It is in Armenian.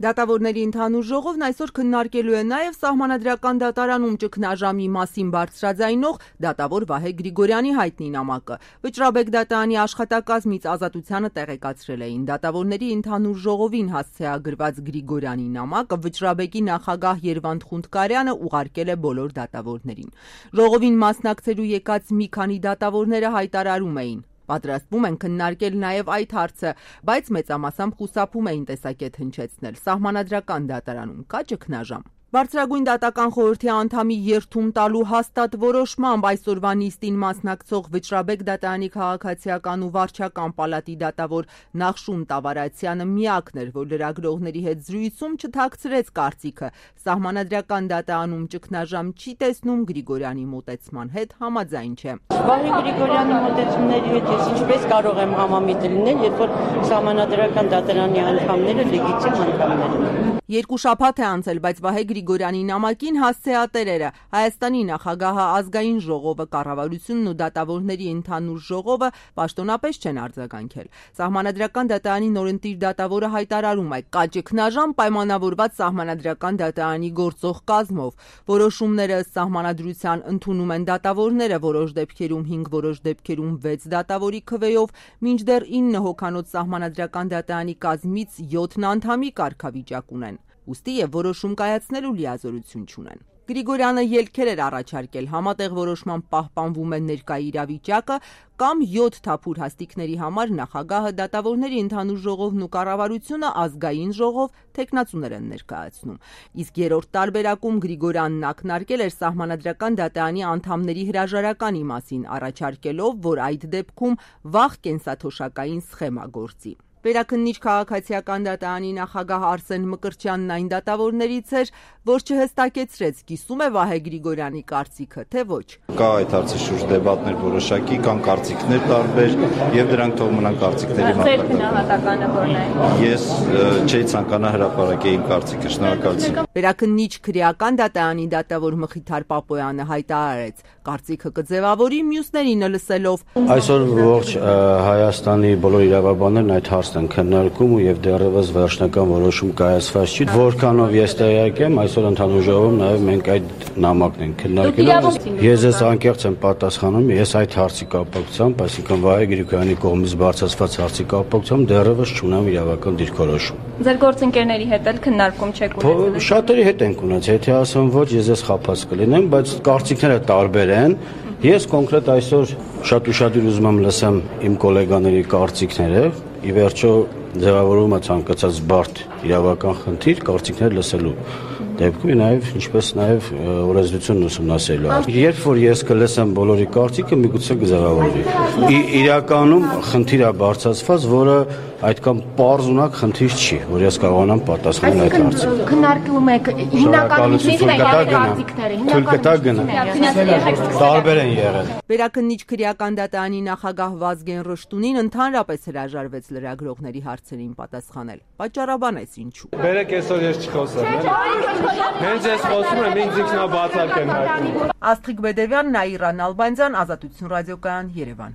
Դատավորների ընդհանուր ժողովն այսօր քննարկելու է նաև Սահմանադրական դատարանում ճգնաժամի մասին բարձրաձայնող դատավոր Վահե Գրիգորյանի հայտնի նամակը։ Վճռաբեկ դատարանի աշխատակազմից Ազատությանը տեղեկացրել էին դատավորների ընդհանուր ժողովին հասցեագրված Գրիգորյանի նամակը վճռաբեկի նախագահ Երվանդ Խունդկարյանը ուղարկել է բոլոր դատավորներին։ Ժողովին մասնակցելու եկած մի քանի դատավորները հայտարարում էին. Պատրաստվում են քննարկել նաև այդ հարցը, բայց մեծամասամբ խուսափում էին տեսակետ հնչեցնել։ Սահմանադրական դատարանում կա ճգնաժամ։ Բարձրագույն դատական խորհրդի անդամի երդում տալու հաստատ որոշմամբ այսօրվա նիստին մասնակցող Վճռաբեկ դատարանի քաղաքացիական ու վարչական պալատի դատավոր Նախշուն Տավարացյանը միակն էր, որ լրագրողների հետ զրույցում չթաքցրեց կարծիքը։ Սահմանադրական դատարանում ճգնաժամ չի տեսնում, Գրիգորյանի մոտեցման հետ համաձայն չէ։ Վահե Գրիգորյանի մոտեցումների հետ ես ինչպես կարող եմ համամիտ լինել, երբ որ Սահմանադրական դատարանի անդամները լեգիտիմ անդամներ են։ Երկու շաբաթ է անցել, բայց Վահե Գրիգորյանի նամակին հասցեատերերը Հայաստանի նախագահը, ազգային ժողովը, կառավարությունն ու դատավորների ընդհանուր ժողովը պաշտոնապես չեն արձագանքել։ Սահմանադրական դատարանի նորընտիր դատավորը հայտարարում է, կա ճգնաժամ պայմանավորված Սահմանադրական դատարանի գործող կազմով։ Որոշումները սահմանադրության ընդունում են դատավորները, որոշ դեպքերում 5, որոշ դեպքերում 6 դատավորի քվեով, մինչդեռ 9 հոգանոց Սահմանադրական դատարանի կազմից 7 անդամի կարգավիճակ ունեն։ Ուստի եւ որոշում կայացնելու լիազորություն չունեն։ Գրիգորյանը ելքեր էր առաջարկել, համատեղ որոշման պահպանվում է ներկա իրավիճակը կամ 7 թափուր հաստիկների համար նախագահը, դատավորների ընդհանուր ժողովն ու կառավարությունը ազգային ժողով թեկնածուներ են ներկայացնում։ Իսկ երրորդ տարբերակում Գրիգորյանն ակնարկել էր Սահմանադրական դատարանի անդամների հրաժարականի մասին, առաջարկելով, որ այդ դեպքում վաղ կենսաթոշակային սխեմա գործի։ Վերաքննիչ քաղաքացիական դատարանի նախագահ Արսեն Մկրտչյանն այն դատավորներից էր, որ չհստակեցրեց, կիսում է Վահե Գրիգորյանի կարծիքը, թե ոչ։ Կա այդ հարցի շուրջ դեբատներ որոշակի, կան կարծիքներ տարբեր, եւ դրանք թող մնան կարծիքների Ձեր գնահատականը որն է։ Ես չէի ցանկանա հրապարակել իմ կարծիքը, շնորհակալություն։ Վերաքննիչ քրեական դատարանի դատավոր Մխիթար Պապոյանը հայտարարեց, կարծիքը կձևավորի մյուսներին լսելով։ Այսօր ողջ Հայաստանի բոլոր իրավաբաններն այդ հարցն են քննարկում ու եւ դեռևս վերջնական որոշում կայացված չի։ Որքանով ես տեղյակ եմ, այսօր ընդհանուր ժողովում նաեւ մենք այդ նամակն ենք քննարկելու։ Ես անկեղծ եմ պատասխանում, ես այդ հարցի կապակցությամբ, այսինքն Վահե Գրիգորյանի կողմից բարձրացված հարցի կապակցությամբ դեռևս չունեմ իրավական դիրքորոշում։ Ձեր գործընկերների հետ էլ քննարկում չեք ունեցել։ Շատերի հետ ենք ունեցել, եթե ասեմ ոչ, ես խաբած կլինեմ, բայց կարծիքները տարբեր են։ Ես կոնկրետ այսօր շատ ուշադիր ուզում եմ լսեմ իմ գոլեգաների կարծիքները, ի վերջո ձևավորումը ցանկացած բարդ իրավական խնդիր կարծիքներ լսելու դեպքում նաև ինչպես նաև օրենսդրությունն ուսումնասիրելու։ Երբ որ ես կլսեմ բոլորի կարծիքը, միգուցե կձևավորվի։ Իրականում խնդիր է բարձրացված, որը այդքան պարզունակ խնդիր չի, որ ես կարողանամ պատասխանել այդ հարցին։ Քննարկում եք հիմնականում կարծիքները, տարբեր են եղել։ Վերաքննիչ քրեական դատարանի նախագահ Վազգեն Ռշտունին ընդհանրապես հրաժարվեց լրագրողների հարցերին պատասխանել։ Պատճառաբանեց ինչու։ Բերեք այսօր ես չխոսեմ, հենց ես խոսում եմ, ինձ ինքնաբացակ եմ հայտնում։ Աստղիկ Բեդևյան, Նաիրա Նալբանդյան, Ազատություն ռադիոկայան, Երևան։